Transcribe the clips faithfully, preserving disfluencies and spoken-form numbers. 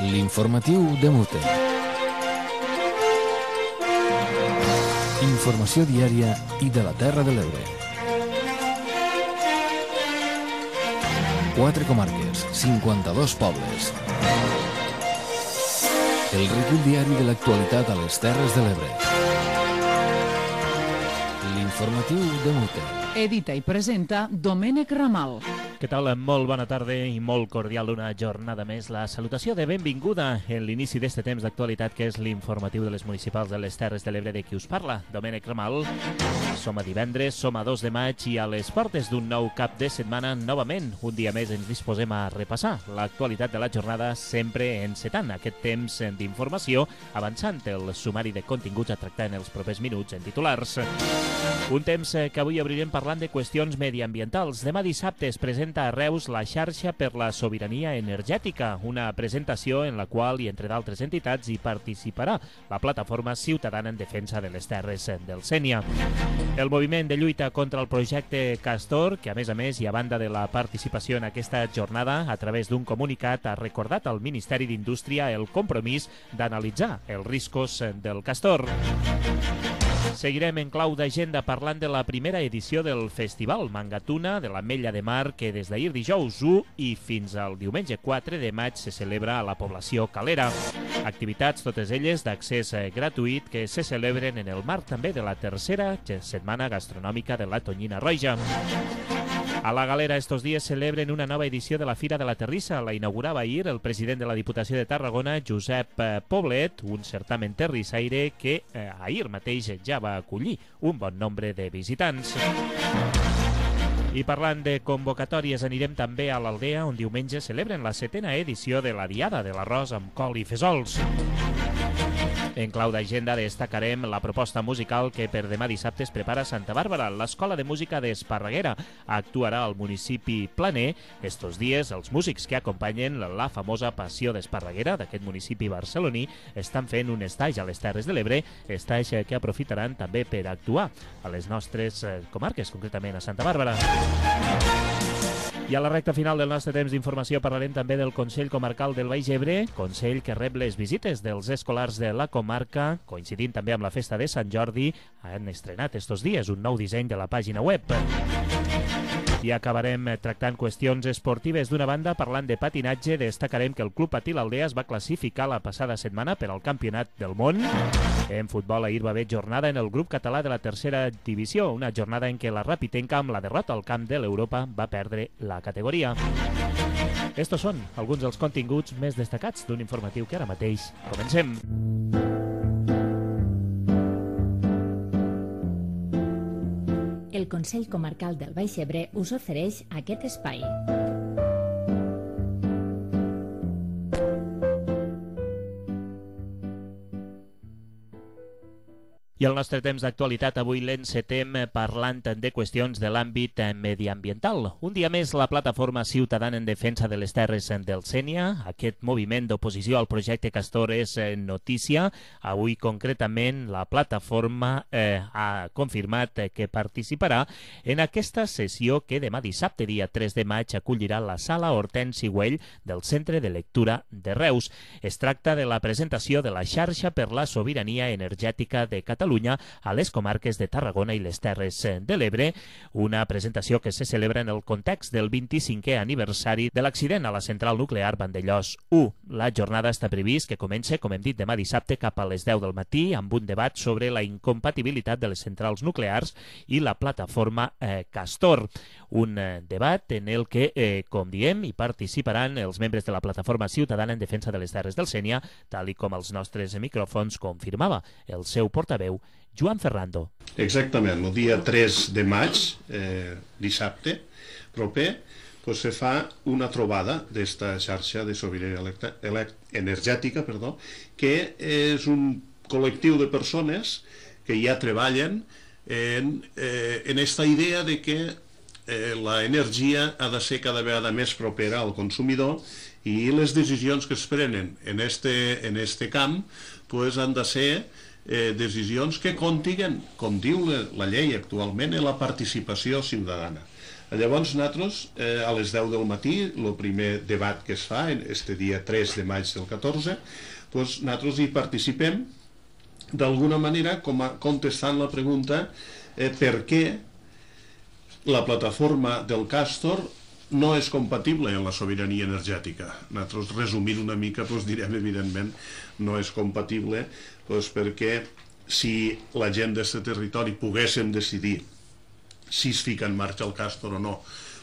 L'informatiu de Mute. Informació diària i de la Terra de l'Ebre. Quatre comarques, cinquanta-dos pobles. El recull diari de l'actualitat a les Terres de l'Ebre. L'informatiu de Mute. Edita i presenta Domènec Ramal. Què tal? Molt bona tarda i molt cordial una jornada més. La salutació de benvinguda en l'inici d'este temps d'actualitat que és l'informatiu de les municipals de les Terres de l'Ebre de qui us parla, Domènec Ramal. Som a divendres, som a dos de maig i a les portes d'un nou cap de setmana novament. Un dia més ens disposem a repassar l'actualitat de la jornada, sempre encetant aquest temps d'informació, avançant el sumari de continguts a tractar en els propers minuts en titulars. Un temps que avui obrirem parlant de qüestions mediambientals. Demà dissabte es presenta a Reus la xarxa per la sobirania energètica, una presentació en la qual, i entre d'altres entitats, hi participarà la plataforma ciutadana en defensa de les terres del Sénia. El moviment de lluita contra el projecte Castor, que a més a més i a banda de la participació en aquesta jornada, a través d'un comunicat ha recordat al Ministeri d'Indústria el compromís d'analitzar els riscos del Castor. Seguirem en clau d'agenda parlant de la primera edició del Festival Mangatuna de l'Ametlla de Mar, que des d'ahir dijous u i fins al diumenge quatre de maig se celebra a la població calera. Activitats, totes elles d'accés gratuït, que se celebren en el marc també de la tercera setmana gastronòmica de la Tonyina Roja. A la Galera estos dies celebren una nova edició de la Fira de la Terrissa. La inaugurava ahir el president de la Diputació de Tarragona, Josep Poblet, un certamen terrissaire que eh, ahir mateix ja va acollir un bon nombre de visitants. I parlant de convocatòries, anirem també a l'Aldea, on diumenge celebren la setena edició de la Diada de l'Arròs amb col i fesols. En clau d'agenda destacarem la proposta musical que per demà dissabte es prepara a Santa Bàrbara. L'Escola de Música d'Esparreguera actuarà al municipi planer. Estos dies, els músics que acompanyen la famosa Passió d'Esparreguera d'aquest municipi barceloní estan fent un estatge a les Terres de l'Ebre, estatge que aprofitaran també per actuar a les nostres comarques, concretament a Santa Bàrbara. I a la recta final del nostre temps d'informació parlarem també del Consell Comarcal del Baix Ebre, Consell que rep les visites dels escolars de la comarca, coincidint també amb la festa de Sant Jordi. Han estrenat estos dies un nou disseny de la pàgina web. I acabarem tractant qüestions esportives. D'una banda, parlant de patinatge, destacarem que el Club Patí l'Aldea es va classificar la passada setmana per al Campionat del Món. En futbol ahir va haver jornada en el grup català de la tercera divisió, una jornada en què la Rapitenca, amb la derrota al camp de l'Europa, va perdre la categoria. Estos són alguns dels continguts més destacats d'un informatiu que ara mateix comencem. El Consell Comarcal del Baix Ebre us ofereix aquest espai. I el nostre temps d'actualitat avui l'encetem parlant de qüestions de l'àmbit mediambiental. Un dia més, la plataforma ciutadana en defensa de les terres del Sénia, aquest moviment d'oposició al projecte Castor, és notícia. Avui, concretament, la plataforma eh, ha confirmat que participarà en aquesta sessió que demà dissabte, dia tres de maig, acollirà la sala Hortensi Güell del Centre de Lectura de Reus. Es tracta de la presentació de la xarxa per la sobirania energètica de Catalunya a les comarques de Tarragona i les Terres de l'Ebre, una presentació que se celebra en el context del vint-i-cinquè aniversari de l'accident a la central nuclear Vandellòs u. La jornada està previst que comença, com hem dit, demà dissabte cap a les deu del matí amb un debat sobre la incompatibilitat de les centrals nuclears i la plataforma eh, Castor. Un eh, debat en el que, eh, com diem, hi participaran els membres de la plataforma ciutadana en defensa de les terres del Sénia, tal i com els nostres micròfons confirmava el seu portaveu, Joan Ferrando. Exactament, el dia tres de maig, eh, dissabte, proper, pues se fa una trobada d'esta xarxa de sobirania energètica, perdó, que és un col·lectiu de persones que ja treballen en, eh, en esta idea de que eh, la energia ha de ser cada vegada més propera al consumidor i les decisions que es prenen en este, en este camp pues, han de ser Eh, decisions que contiguen, com diu la, la llei actualment, en la participació ciutadana. Llavors, nosaltres, eh, a les deu del matí, el primer debat que es fa, este dia tres de maig del catorze, doncs nosaltres hi participem d'alguna manera com a, contestant la pregunta eh, per què la plataforma del Castor no és compatible amb la sobirania energètica. Nosaltres, resumint una mica, doncs direm, evidentment, no és compatible doncs perquè si la gent d'aquest territori poguéssim decidir si es fica en marxa el Castor o no,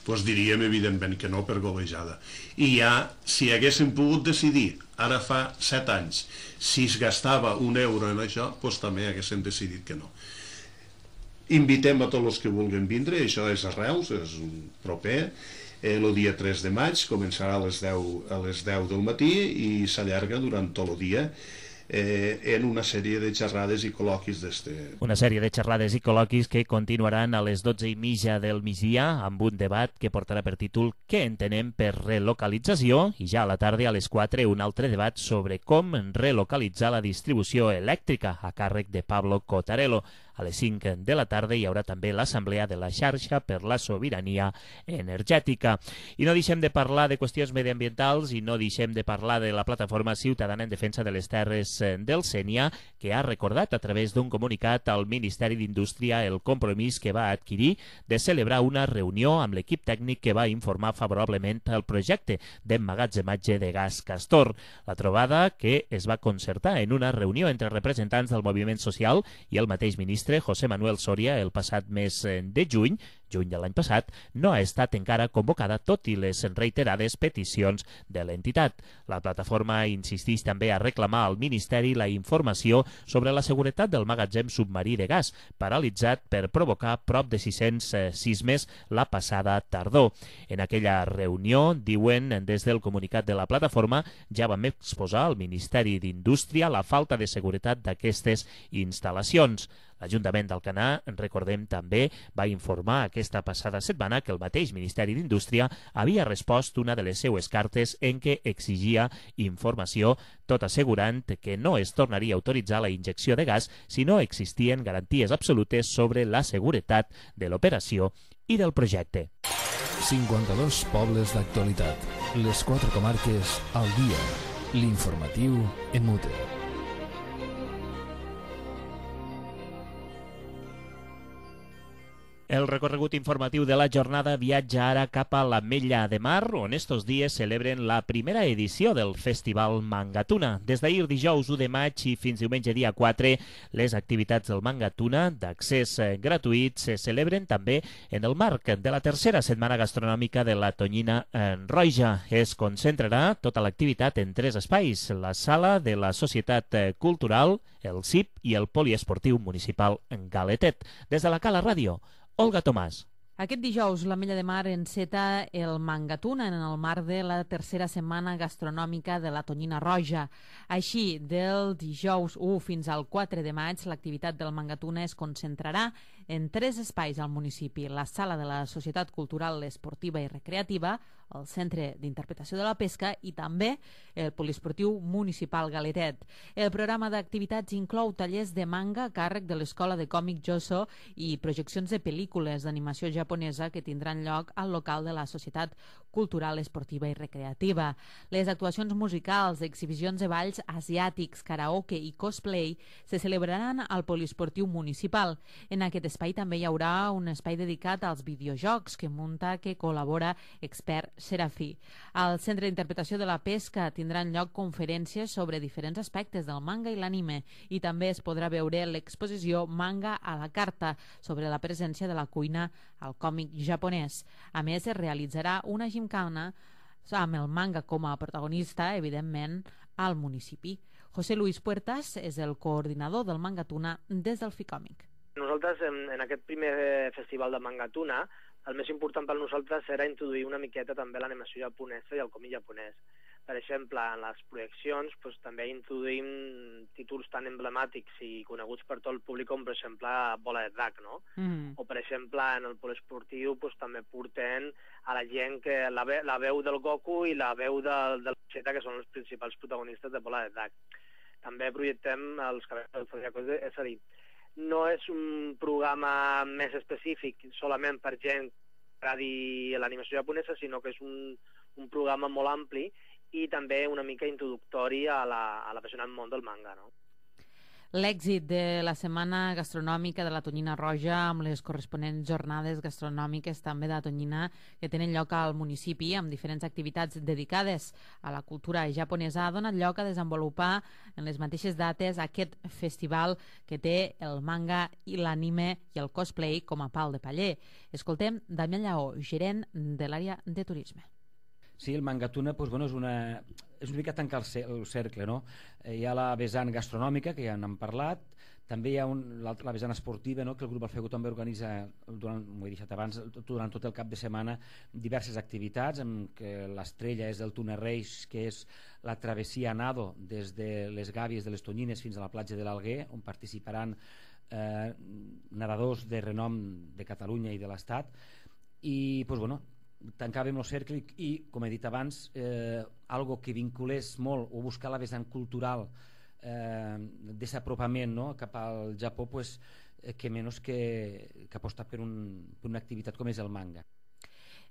doncs diríem, evidentment, que no, per golejada. I ja, si haguéssim pogut decidir, ara fa set anys, si es gastava un euro en això, doncs també haguéssim decidit que no. Invitem a tots els que vulguin vindre, això és a Reus, és proper, el dia tres de maig, començarà a les deu, a les deu del matí i s'allarga durant tot el dia eh, en una sèrie de xerrades i col·loquis d'este. Una sèrie de xerrades i col·loquis que continuaran a les dotze i mitja del migdia amb un debat que portarà per títol Què entenem per relocalització? I ja a la tarda a les quatre un altre debat sobre com relocalitzar la distribució elèctrica a càrrec de Pablo Cotarello. A les cinc de la tarda hi haurà també l'assemblea de la xarxa per la sobirania energètica. I no deixem de parlar de qüestions mediambientals i no deixem de parlar de la plataforma ciutadana en defensa de les terres del Sénia, que ha recordat a través d'un comunicat al Ministeri d'Indústria el compromís que va adquirir de celebrar una reunió amb l'equip tècnic que va informar favorablement el projecte d'emmagatzematge de gas Castor. La trobada, que es va concertar en una reunió entre representants del moviment social i el mateix ministre José Manuel Soria el passat mes de juny, juny de l'any passat, no ha estat encara convocada tot i les reiterades peticions de l'entitat. La plataforma insisteix també a reclamar al Ministeri la informació sobre la seguretat del magatzem submarí de gas, paralitzat per provocar prop de sis-cents sismes la passada tardor. En aquella reunió, diuen des del comunicat de la plataforma, ja vam exposar al Ministeri d'Indústria la falta de seguretat d'aquestes instal·lacions. L'Ajuntament d'Alcanar, recordem també, va informar aquesta passada setmana que el mateix Ministeri d'Indústria havia respost una de les seues cartes en què exigia informació, tot assegurant que no es tornaria a autoritzar la injecció de gas si no existien garanties absolutes sobre la seguretat de l'operació i del projecte. cinquanta-dos pobles d'actualitat. Les quatre comarques al dia. L'informatiu en Mute. El recorregut informatiu de la jornada viatja ara cap a l'Ametlla de Mar, on estos dies celebren la primera edició del Festival Mangatuna. Des d'ahir dijous u de maig i fins diumenge dia quatre, les activitats del Mangatuna d'accés gratuït se celebren també en el marc de la tercera setmana gastronòmica de la Tonyina en Roja. Es concentrarà tota l'activitat en tres espais: la sala de la Societat Cultural, el C I P i el Poliesportiu Municipal en Galetet. Des de la Cala Ràdio, Olga Tomàs. Aquest dijous, l'Ametlla de Mar enceta el Mangatuna en el marc de la tercera setmana gastronòmica de la Tonyina Roja. Així, del dijous u fins al quatre de maig, l'activitat del Mangatuna es concentrarà en tres espais al municipi: la sala de la Societat Cultural, Esportiva i Recreativa, el Centre d'Interpretació de la Pesca i també el Poliesportiu Municipal Galetet. El programa d'activitats inclou tallers de manga a càrrec de l'Escola de Còmic Joso i projeccions de pel·lícules d'animació japonesa que tindran lloc al local de la Societat Cultural, Esportiva i Recreativa. Les actuacions musicals, exhibicions de balls asiàtics, karaoke i cosplay se celebraran al Poliesportiu Municipal. En aquest espai també hi haurà un espai dedicat als videojocs que munta, que col·labora Expert Serafí. Al Centre d'Interpretació de la Pesca tindran lloc conferències sobre diferents aspectes del manga i l'anime i també es podrà veure l'exposició Manga a la Carta sobre la presència de la cuina al còmic japonès. A més, es realitzarà una gimcana amb el manga com a protagonista, evidentment, al municipi. José Luis Puertas és el coordinador del Mangatuna des del Ficòmic. Nosaltres, en, en aquest primer festival de Mangatuna, el més important per nosaltres era introduir una miqueta també l'animació japonesa i el còmic japonès. Per exemple, en les projeccions doncs, també introduïm títols tan emblemàtics i coneguts per tot el públic com, per exemple, Bola de Drac, no? Mm. O, per exemple, en el poliesportiu doncs, també porten a la gent que la, ve, la veu del Goku i la veu de, de la Vegeta, que són els principals protagonistes de Bola de Drac. També projectem els cabells del Zodiaco, és a dir, no és un programa més específic solament per gent agradi l'animació japonesa, sinó que és un, un programa molt ampli i també una mica introductori a l'apassionant món del manga, no? L'èxit de la Setmana Gastronòmica de la Tonyina Roja amb les corresponents jornades gastronòmiques també de la Tonyina que tenen lloc al municipi amb diferents activitats dedicades a la cultura japonesa ha donat lloc a desenvolupar en les mateixes dates aquest festival que té el manga i l'anime i el cosplay com a pal de paller. Escoltem Damià Lleó, gerent de l'àrea de turisme. Sí, el Mangatuna doncs, bueno, és, una, és una mica tancar el, el cercle, no? Eh, hi ha la vessant gastronòmica, que ja n'hem parlat, també hi ha un, la, la vessant esportiva, no? Que el grup Alfego també organitza, durant, ho he deixat abans, durant tot el cap de setmana, diverses activitats, amb què l'estrella és el Túnel Reis, que és la travessia a nado des de les Gàbies de les Tonyines fins a la platja de l'Alguer, on participaran eh, nedadors de renom de Catalunya i de l'Estat, i, doncs, bueno, tancàvem el cercle i, i, com he dit abans, eh, algo que vinculés molt o buscar la vessant cultural eh, d'apropament, no?, cap al Japó, pues, eh, que menys que, que apostar per, un, per una activitat com és el manga.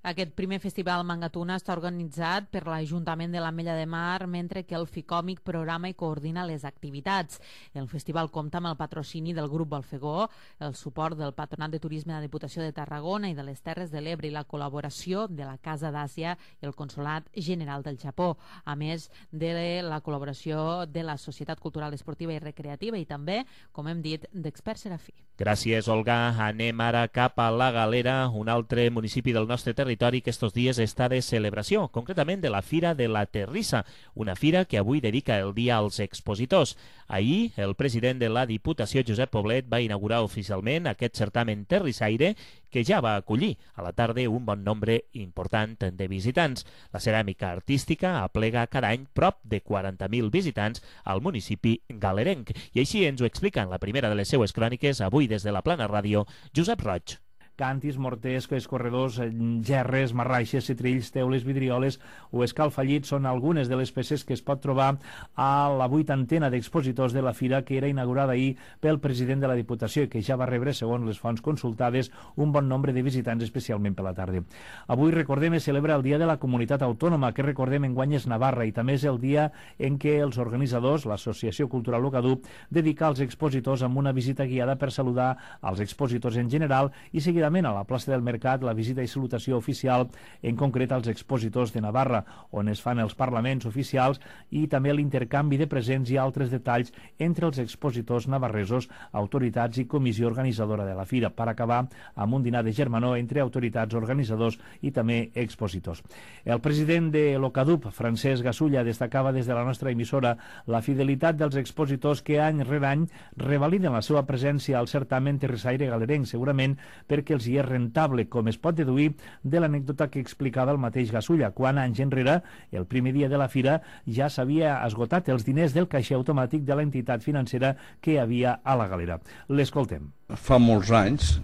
Aquest primer festival Mangatuna està organitzat per l'Ajuntament de l'Ametlla de Mar, mentre que el Ficòmic programa i coordina les activitats. El festival compta amb el patrocini del grup Alfegó, el suport del Patronat de Turisme de la Diputació de Tarragona i de les Terres de l'Ebre i la col·laboració de la Casa d'Àsia i el Consolat General del Japó, a més de la col·laboració de la Societat Cultural Esportiva i Recreativa i també, com hem dit, d'Experts Serafí. Gràcies, Olga. Anem ara cap a la Galera, un altre municipi del nostre territori que estos dies està de celebració, concretament de la Fira de la Terrissa, una fira que avui dedica el dia als expositors. Ahir, el president de la Diputació, Josep Poblet, va inaugurar oficialment aquest certamen terrissaire que ja va acollir a la tarda un bon nombre important de visitants. La ceràmica artística aplega cada any prop de quaranta mil visitants al municipi galerenc. I així ens ho explica en la primera de les seues cròniques, avui des de la Plana Ràdio, Josep Roig. Càntirs, morters, escorredors, gerres, marraixes, citrills, teules, vidrioles o escalfallits són algunes de les peces que es pot trobar a la vuitantena d'expositors de la fira que era inaugurada ahir pel president de la Diputació i que ja va rebre, segons les fonts consultades, un bon nombre de visitants, especialment per la tarda. Avui, recordem, es celebra el Dia de la Comunitat Autònoma, que recordem enguany és Navarra, i també és el dia en què els organitzadors, l'Associació Cultural Ocadup, dedica als expositors amb una visita guiada per saludar als expositors en general i seguir a la plaça del Mercat la visita i salutació oficial, en concret als expositors de Navarra, on es fan els parlaments oficials i també l'intercanvi de presents i altres detalls entre els expositors navarresos, autoritats i comissió organitzadora de la fira, per acabar amb un dinar de germanor entre autoritats, organitzadors i també expositors. El president de l'Ocadup, Francesc Gasulla, destacava des de la nostra emissora la fidelitat dels expositors que any rere any revaliden la seva presència al certamen terrissaire galerenc, segurament perquè els hi és rentable, com es pot deduir de l'anècdota que explicava el mateix Gasulla, quan anys enrere, el primer dia de la fira, ja s'havia esgotat els diners del caixer automàtic de l'entitat financera que hi havia a la galera. L'escoltem. Fa molts anys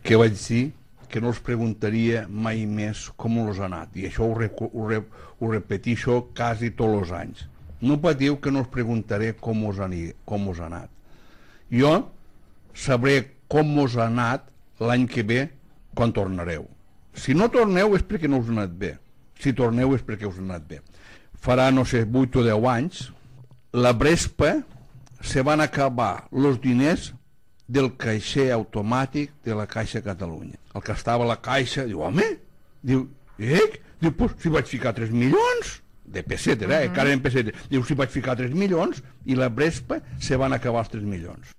que vaig dir que no els preguntaria mai més com els ha anat, i això ho, ho, ho repetixo quasi tots els anys. No patiu que no us preguntaré com us ha, com us ha anat. Jo sabré com us ha anat l'any que ve, quan tornareu. Si no torneu és perquè no us ha anat bé. Si torneu és perquè us ha anat bé. Farà, no sé, vuit o deu anys, la Brespa se van acabar els diners del caixer automàtic de la Caixa Catalunya. El que estava a la Caixa diu, home, diu, eh? Diu, pues, si vaig ficar tres milions, de pessetes, eh? Uh -huh. Encara en pessetes. Diu, si vaig ficar tres milions, i la Brespa se van acabar els tres milions.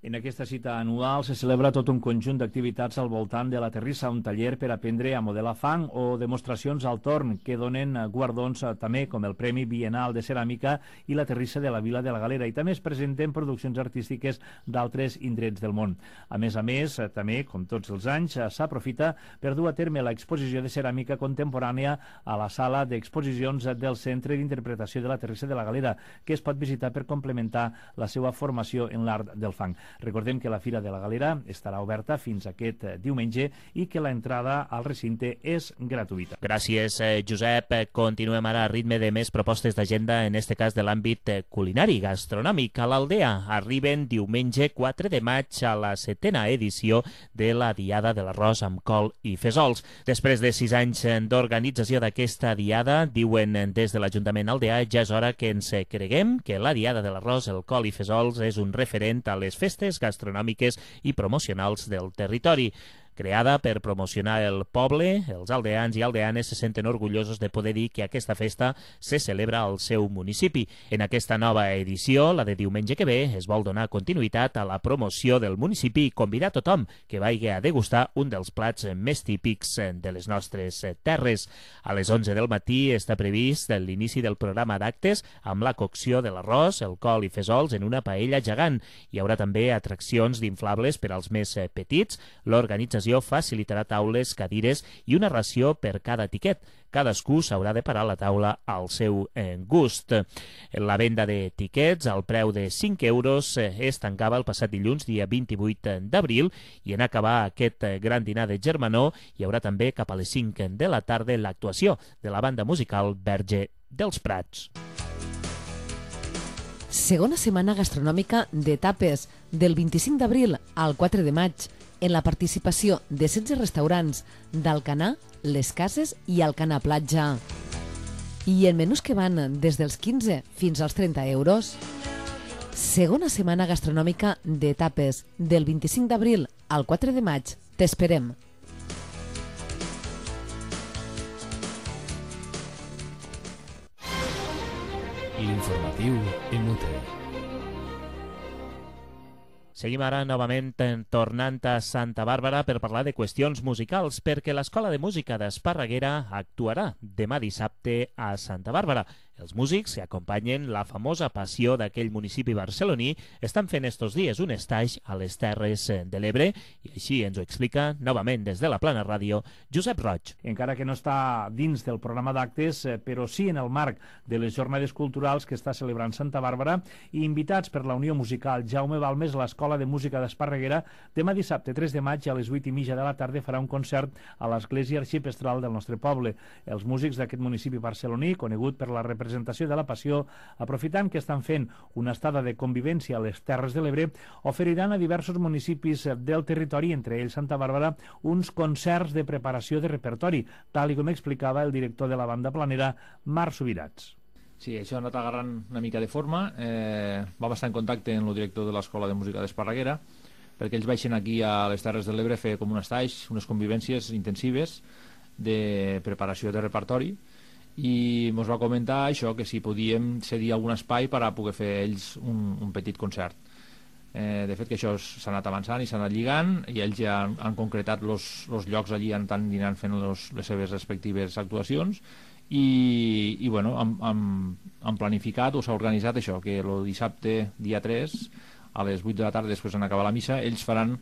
En aquesta cita anual se celebra tot un conjunt d'activitats al voltant de la terrissa, un taller per aprendre a modelar fang o demostracions al torn que donen guardons també com el Premi Bienal de Ceràmica i la terrissa de la Vila de la Galera, i també es presenten produccions artístiques d'altres indrets del món. A més a més, també, com tots els anys, s'aprofita per dur a terme l'exposició de ceràmica contemporània a la sala d'exposicions del Centre d'Interpretació de la Terrissa de la Galera, que es pot visitar per complementar la seva formació en l'art del fang. Recordem que la Fira de la Galera estarà oberta fins aquest diumenge i que l'entrada al recinte és gratuïta. Gràcies, Josep. Continuem ara a ritme de més propostes d'agenda, en este cas de l'àmbit culinari, gastronòmic. A l'Aldea arriben diumenge quatre de maig a la setena edició de la Diada de l'Arròs amb col i fesols. Després de sis anys d'organització d'aquesta diada, diuen des de l'Ajuntament aldeà, ja és hora que ens creguem que la Diada de l'Arròs, el col i fesols és un referent a les festes gastronòmiques i promocionals del territori. Creada per promocionar el poble, els aldeans i aldeanes se senten orgullosos de poder dir que aquesta festa se celebra al seu municipi. En aquesta nova edició, la de diumenge que ve, es vol donar continuïtat a la promoció del municipi i convidar a tothom que vagi a degustar un dels plats més típics de les nostres terres. A les onze del matí està previst l'inici del programa d'actes amb la cocció de l'arròs, el col i fesols en una paella gegant. Hi haurà també atraccions d'inflables per als més petits. L'organització facilitarà taules, cadires i una ració per cada tiquet. Cadascú s'haurà de parar a la taula al seu gust. La venda de tiquets al preu de cinc euros es tancava el passat dilluns, dia vint-i-vuit d'abril, i en acabar aquest gran dinar de germanor hi haurà també cap a les cinc de la tarda l'actuació de la banda musical Verge dels Prats. Segona setmana gastronòmica de tapes, del vint-i-cinc d'abril al quatre de maig, en la participació de setze restaurants d'Alcanar, Les Cases i Alcanar Platja. I en menús que van des dels quinze fins als trenta euros. Segona setmana gastronòmica de tapes, del vint-i-cinc d'abril al quatre de maig. T'esperem. L'informatiu en Mute. Seguim ara novament tornant a Santa Bàrbara per parlar de qüestions musicals, perquè l'Escola de Música d'Esparreguera actuarà demà dissabte a Santa Bàrbara. Els músics que acompanyen la famosa passió d'aquell municipi barceloní estan fent estos dies un estatge a les Terres de l'Ebre i així ens ho explica novament des de la Plana Ràdio Josep Roig. Encara que no està dins del programa d'actes, però sí en el marc de les jornades culturals que està celebrant Santa Bàrbara i invitats per la Unió Musical Jaume Balmes, l'Escola de Música d'Esparreguera, demà dissabte tres de maig a les vuit i mitja de la tarda farà un concert a l'Església Arxipestral del nostre poble. Els músics d'aquest municipi barceloní, conegut per la representació de la passió, aprofitant que estan fent una estada de convivència a les Terres de l'Ebre, oferiran a diversos municipis del territori, entre ells Santa Bàrbara, uns concerts de preparació de repertori, tal i com explicava el director de la banda planera, Marc Subirats. Sí, això ha anat agarrant una mica de forma. Eh, vam estar en contacte amb el director de l'Escola de Música d'Esparreguera perquè ells baixen aquí a les Terres de l'Ebre a fer com un estatge, unes convivències intensives de preparació de repertori, i ens va comentar això, que si podíem cedir algun espai per a poder fer ells un, un petit concert. Eh, de fet que això s'ha anat avançant i s'ha anat lligant, i ells ja han, han concretat els llocs allí, han estat dinant fent los, les seves respectives actuacions, i, i bueno, han, han, han planificat o s'ha organitzat això, que el dissabte dia tres a les vuit de la tarda, després d'acabar la missa, ells faran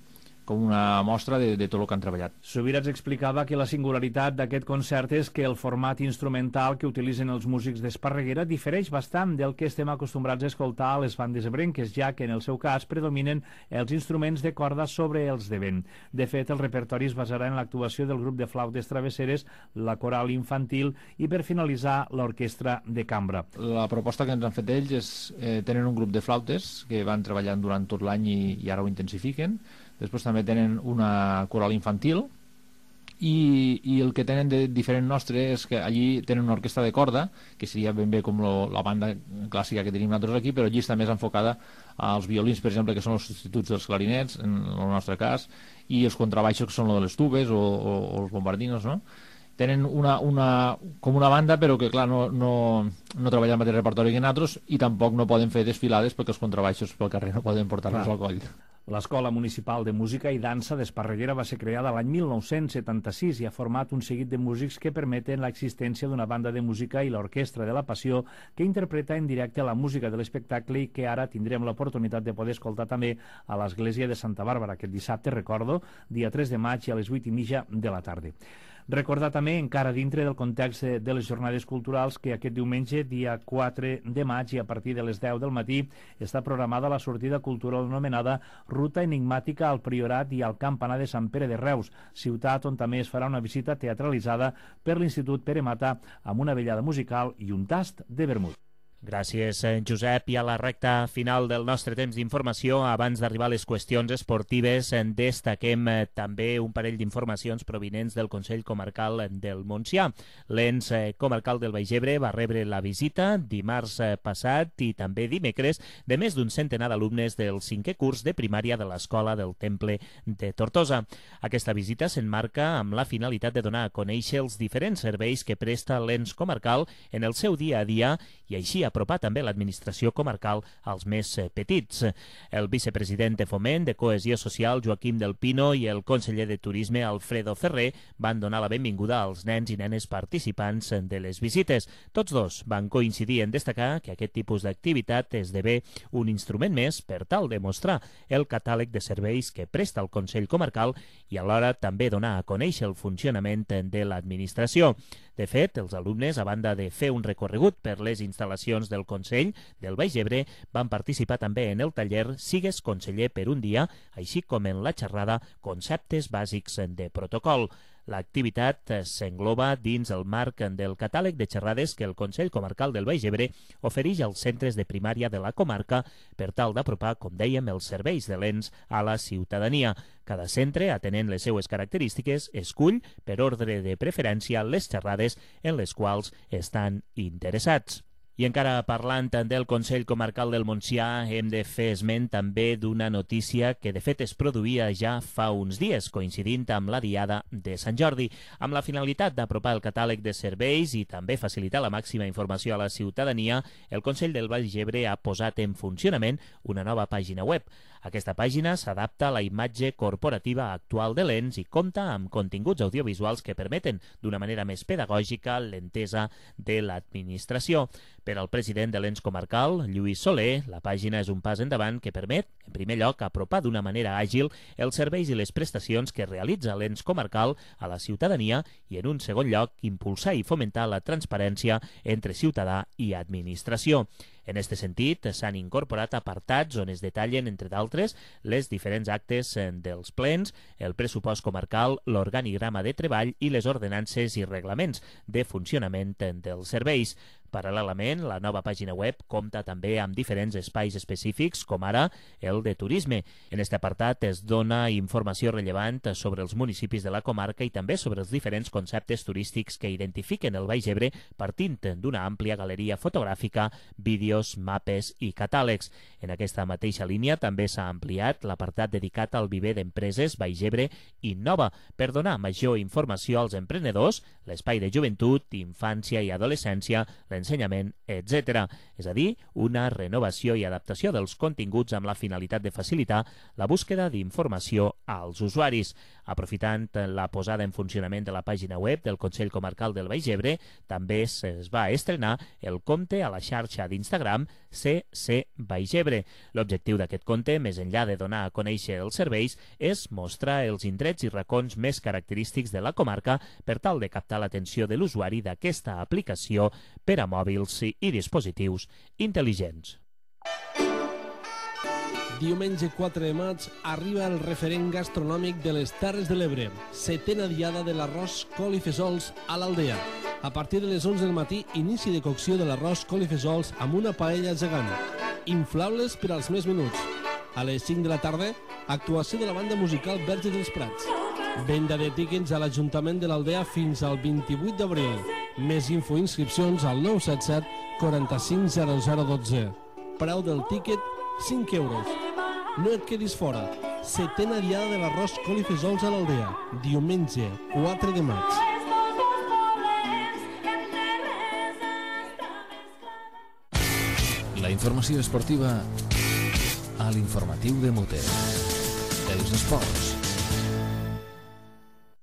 com una mostra de, de tot el que han treballat. Subirats explicava que la singularitat d'aquest concert és que el format instrumental que utilitzen els músics d'Esparreguera difereix bastant del que estem acostumbrats a escoltar a les bandes ebrenques, ja que en el seu cas predominen els instruments de corda sobre els de vent. De fet, el repertori es basarà en l'actuació del grup de flautes travesseres, la coral infantil i, per finalitzar, l'orquestra de cambra. La proposta que ens han fet ells és eh, tenen un grup de flautes que van treballant durant tot l'any i, i ara ho intensifiquen. Després també tenen una coral infantil i, i el que tenen de diferent nostre és que allí tenen una orquestra de corda, que seria ben bé com lo, la banda clàssica que tenim nosaltres aquí, però allí està més enfocada als violins, per exemple, que són els substituts dels clarinets, en el nostre cas, i els contrabaixos, que són lo de les tubes o, o, o els bombardinos, no? Tenen una, una, com una banda, però que clar, no, no, no treballen el mateix repertori que nosaltres, i tampoc no poden fer desfilades perquè els contrabaixos pel carrer no poden portar-los al coll. L'Escola Municipal de Música i Dansa d'Esparreguera va ser creada l'any mil nou-cents setanta-sis i ha format un seguit de músics que permeten l'existència d'una banda de música i l'Orquestra de la Passió, que interpreta en directe la música de l'espectacle i que ara tindrem l'oportunitat de poder escoltar també a l'Església de Santa Bàrbara aquest dissabte, recordo, dia tres de maig a les vuit i mitja de la tarda. Recordar també, encara dintre del context de les jornades culturals, que aquest diumenge, dia quatre de maig, i a partir de les deu del matí, està programada la sortida cultural anomenada Ruta Enigmàtica al Priorat i al Campanar de Sant Pere de Reus, ciutat on també es farà una visita teatralitzada per l'Institut Pere Mata amb una vellada musical i un tast de vermut. Gràcies, Josep. I a la recta final del nostre temps d'informació, abans d'arribar a les qüestions esportives, destaquem també un parell d'informacions provinents del Consell Comarcal del Montsià. L'ens comarcal del Baix Ebre va rebre la visita dimarts passat i també dimecres de més d'un centenar d'alumnes del cinquè curs de primària de l'Escola del Temple de Tortosa. Aquesta visita s'enmarca amb la finalitat de donar a conèixer els diferents serveis que presta l'ens comarcal en el seu dia a dia i així apropar també l'administració comarcal als més petits. El vicepresident de Foment de Cohesió Social, Joaquim del Pino, i el conseller de Turisme, Alfredo Ferrer, van donar la benvinguda als nens i nenes participants de les visites. Tots dos van coincidir en destacar que aquest tipus d'activitat esdevé un instrument més per tal de mostrar el catàleg de serveis que presta el Consell Comarcal i alhora també donar a conèixer el funcionament de l'administració. De fet, els alumnes, a banda de fer un recorregut per les instal·lacions del Consell del Baix Ebre, van participar també en el taller Sigues conseller per un dia, així com en la xerrada Conceptes bàsics de protocol. L'activitat s'engloba dins el marc del catàleg de xerrades que el Consell Comarcal del Baix Ebre ofereix als centres de primària de la comarca per tal d'apropar, com dèiem, els serveis de l'ens a la ciutadania. Cada centre, atenent les seues característiques, escull, per ordre de preferència, les xerrades en les quals estan interessats. I encara parlant del Consell Comarcal del Montsià, hem de fer esment també d'una notícia que de fet es produïa ja fa uns dies, coincidint amb la Diada de Sant Jordi. Amb la finalitat d'apropar el catàleg de serveis i també facilitar la màxima informació a la ciutadania, el Consell del Baix Ebre ha posat en funcionament una nova pàgina web. Aquesta pàgina s'adapta a la imatge corporativa actual de l'ens i compta amb continguts audiovisuals que permeten d'una manera més pedagògica l'entesa de l'administració. Per al president de l'ens comarcal, Lluís Soler, la pàgina és un pas endavant que permet, en primer lloc, apropar d'una manera àgil els serveis i les prestacions que realitza l'ens comarcal a la ciutadania i, en un segon lloc, impulsar i fomentar la transparència entre ciutadà i administració. En aquest sentit, s'han incorporat apartats on es detallen, entre d'altres, les diferents actes dels plens, el pressupost comarcal, l'organigrama de treball i les ordenances i reglaments de funcionament dels serveis. Paral·lelament, la nova pàgina web compta també amb diferents espais específics, com ara el de turisme. En aquest apartat es dona informació rellevant sobre els municipis de la comarca i també sobre els diferents conceptes turístics que identifiquen el Baix Ebre partint d'una àmplia galeria fotogràfica, vídeos, mapes i catàlegs. En aquesta mateixa línia també s'ha ampliat l'apartat dedicat al viver d'empreses Baix Ebre Innova per donar major informació als emprenedors, l'espai de joventut, infància i adolescència, l'ensenyament, etcètera. És a dir, una renovació i adaptació dels continguts amb la finalitat de facilitar la búsqueda d'informació als usuaris. Aprofitant la posada en funcionament de la pàgina web del Consell Comarcal del Baix Ebre, també es va estrenar el compte a la xarxa d'Instagram C C Baix Ebre. L'objectiu d'aquest compte, més enllà de donar a conèixer els serveis, és mostrar els indrets i racons més característics de la comarca per tal de captar l'atenció de l'usuari d'aquesta aplicació per a mòbils i dispositius intel·ligents. Diumenge quatre de maig arriba el referent gastronòmic de les Terres de l'Ebre, setena diada de l'arròs col i fesols a l'Aldea. A partir de les onze del matí, inici de cocció de l'arròs col i fesols amb una paella gegant. Inflables per als més menuts. A les cinc de la tarda, actuació de la banda musical Verge dels Prats. Venda de tíquets a l'Ajuntament de l'Aldea fins al vint-i-vuit d'abril. Més info i inscripcions al nou set set quaranta-cinc zero zero dotze. Preu del tíquet, cinc euros. No et quedis fora. Setena diada de l'arròs col i fesols a l'Aldea. Diumenge, quatre de maig. La informació esportiva a l'informatiu de Mute. Els esports.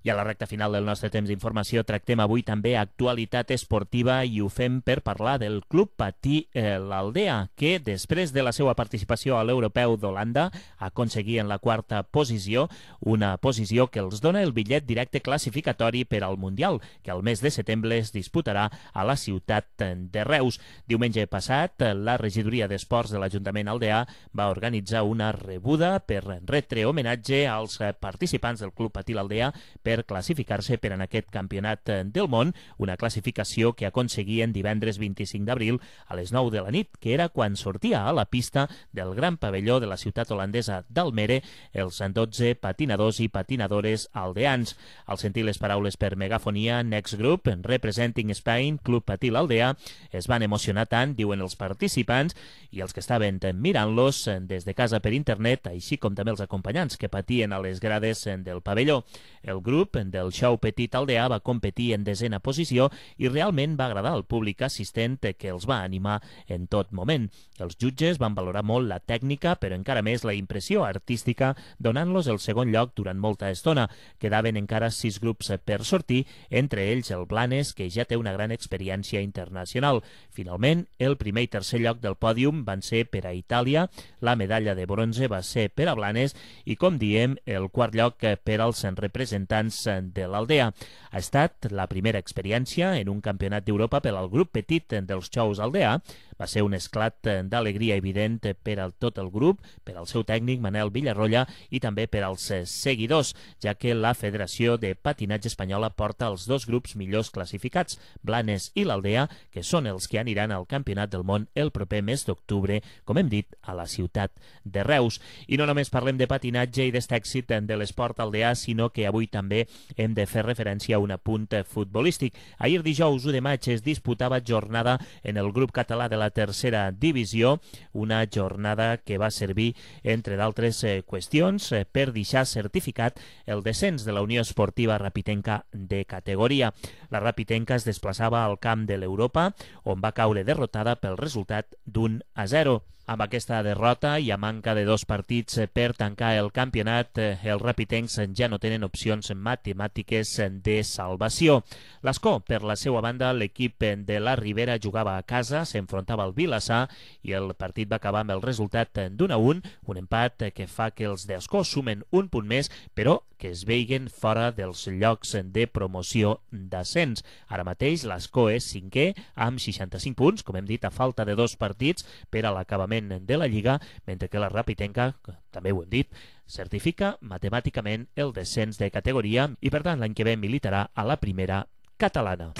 I a la recta final del nostre temps d'informació tractem avui també actualitat esportiva i ho fem per parlar del Club Patí eh, l'Aldea, que després de la seva participació a l'Europeu d'Holanda aconseguia en la quarta posició, una posició que els dona el bitllet directe classificatori per al Mundial, que al mes de setembre es disputarà a la ciutat de Reus. Diumenge passat, la regidoria d'Esports de l'Ajuntament aldeà va organitzar una rebuda per retre homenatge als participants del Club Patí l'Aldea per classificar-se per en aquest campionat del món, una classificació que aconseguien divendres vint-i-cinc d'abril a les nou de la nit, que era quan sortia a la pista del gran pavelló de la ciutat holandesa d'Almere els dotze patinadors i patinadores aldeans. Al sentir les paraules per megafonia, Next Group, Representing Spain, Club Patí l'Aldea, es van emocionar tant, diuen els participants, i els que estaven mirant-los des de casa per internet, així com també els acompanyants que patien a les grades del pavelló. El grup del show Petit Aldea va competir en desena posició i realment va agradar al públic assistent, que els va animar en tot moment. Els jutges van valorar molt la tècnica, però encara més la impressió artística, donant-los el segon lloc durant molta estona. Quedaven encara sis grups per sortir, entre ells el Blanes, que ja té una gran experiència internacional. Finalment, el primer i tercer lloc del pòdium van ser per a Itàlia, la medalla de bronze va ser per a Blanes i, com diem, el quart lloc per als representants de l'Aldea. Ha estat la primera experiència en un campionat d'Europa per al grup petit dels Xous Aldea. Va ser un esclat d'alegria evident per a tot el grup, per al seu tècnic Manel Villarroya i també per als seguidors, ja que la Federació de Patinatge Espanyola porta els dos grups millors classificats, Blanes i l'Aldea, que són els que aniran al Campionat del Món el proper mes d'octubre, com hem dit, a la ciutat de Reus. I no només parlem de patinatge i d'este èxit de l'esport aldeà, sinó que avui també hem de fer referència a un apunt futbolístic. Ahir dijous u de maig es disputava jornada en el grup català de la tercera divisió, una jornada que va servir, entre d'altres eh, qüestions, eh, per deixar certificat el descens de la Unió Esportiva Rapitenca de categoria. La Rapitenca es desplaçava al camp de l'Europa, on va caure derrotada pel resultat d'un a zero. Amb aquesta derrota i a manca de dos partits per tancar el campionat, els rapitencs ja no tenen opcions matemàtiques de salvació. L'Escó, per la seva banda, l'equip de la Ribera jugava a casa, s'enfrontava al Vilassar i el partit va acabar amb el resultat d'un a un, un empat que fa que els d'Escó sumen un punt més, però que es veiguen fora dels llocs de promoció d'ascens. Ara mateix l'Escó és cinquè amb seixanta-cinc punts, com hem dit, a falta de dos partits per a l'acabament de la Lliga, mentre que la Rapitenca, també ho hem dit, certifica matemàticament el descens de categoria i per tant l'any que ve militarà a la primera catalana.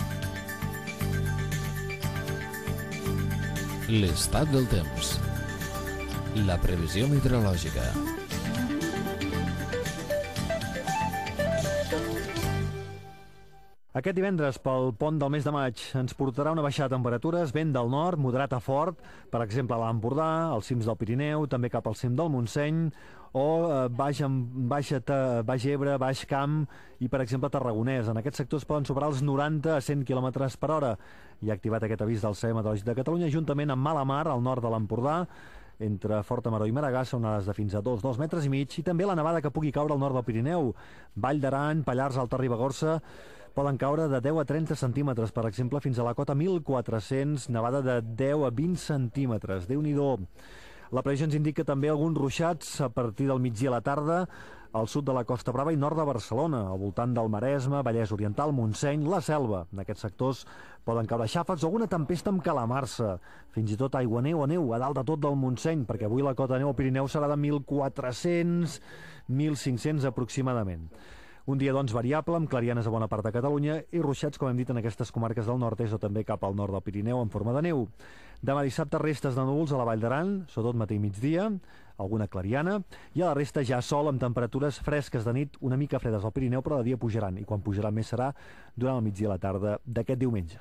L'estat del temps. La previsió meteorològica. Aquest divendres, pel pont del mes de maig, ens portarà una baixada de temperatures, vent del nord, moderat a fort, per exemple a l'Empordà, als cims del Pirineu, també cap al cim del Montseny, o eh, baix, baix, baix Ebre, Baix Camp i, per exemple, Tarragonès. En aquests sectors poden superar els noranta a cent quilòmetres per hora. Hi ha activat aquest avís del Servei Meteorològic de Catalunya, juntament amb mala mar al nord de l'Empordà, entre Forta-Maró i Maragassa, onades de fins a dos, dos metres i mig, i també la nevada que pugui caure al nord del Pirineu. Vall d'Aran, Pallars, Alta Ribagorça, poden caure de deu a trenta centímetres, per exemple, fins a la cota mil quatre-cents, nevada de deu a vint centímetres. Déu-n'hi-do. La previsió ens indica també alguns ruixats a partir del migdia a la tarda al sud de la Costa Brava i nord de Barcelona, al voltant del Maresme, Vallès Oriental, Montseny, la Selva. En aquests sectors poden caure xàfecs o alguna tempesta amb calamarsa, fins i tot aigua neu o neu a dalt de tot del Montseny, perquè avui la cota de neu al Pirineu serà de mil quatre-cents a mil cinc-cents aproximadament. Un dia, doncs, variable, amb clarianes a bona part de Catalunya i ruixats, com hem dit, en aquestes comarques del nord-est o també cap al nord del Pirineu en forma de neu. Demà dissabte, restes de núvols a la Vall d'Aran, sobretot matí i migdia, alguna clariana, i a la resta ja sol amb temperatures fresques de nit, una mica fredes al Pirineu, però de dia pujaran, i quan pujaran més serà durant el migdia a la tarda d'aquest diumenge.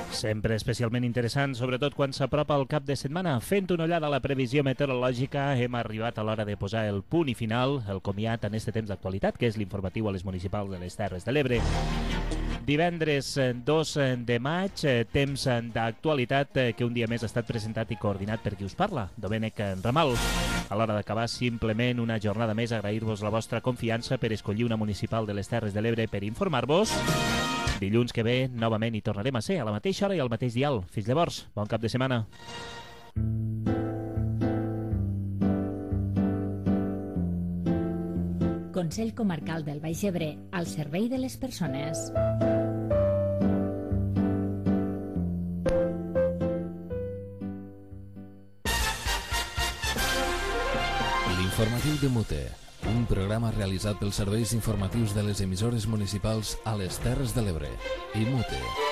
Sempre especialment interessant, sobretot quan s'apropa el cap de setmana. Fent una ullada a la previsió meteorològica, hem arribat a l'hora de posar el punt i final, el comiat en este temps d'actualitat, que és l'informatiu a les municipals de les Terres de l'Ebre. Divendres dos de maig, temps d'actualitat que un dia més ha estat presentat i coordinat per qui us parla, Domènec Ramal. A l'hora d'acabar, simplement una jornada més, agrair-vos la vostra confiança per escollir una municipal de les Terres de l'Ebre per informar-vos. Dilluns que ve, novament hi tornarem a ser, a la mateixa hora i al mateix dial. Fins llavors, bon cap de setmana. Consell Comarcal del Baix Ebre, al servei de les persones. L'informatiu de Mute, un programa realitzat pels serveis informatius de les emissores municipals a les Terres de l'Ebre i Mute.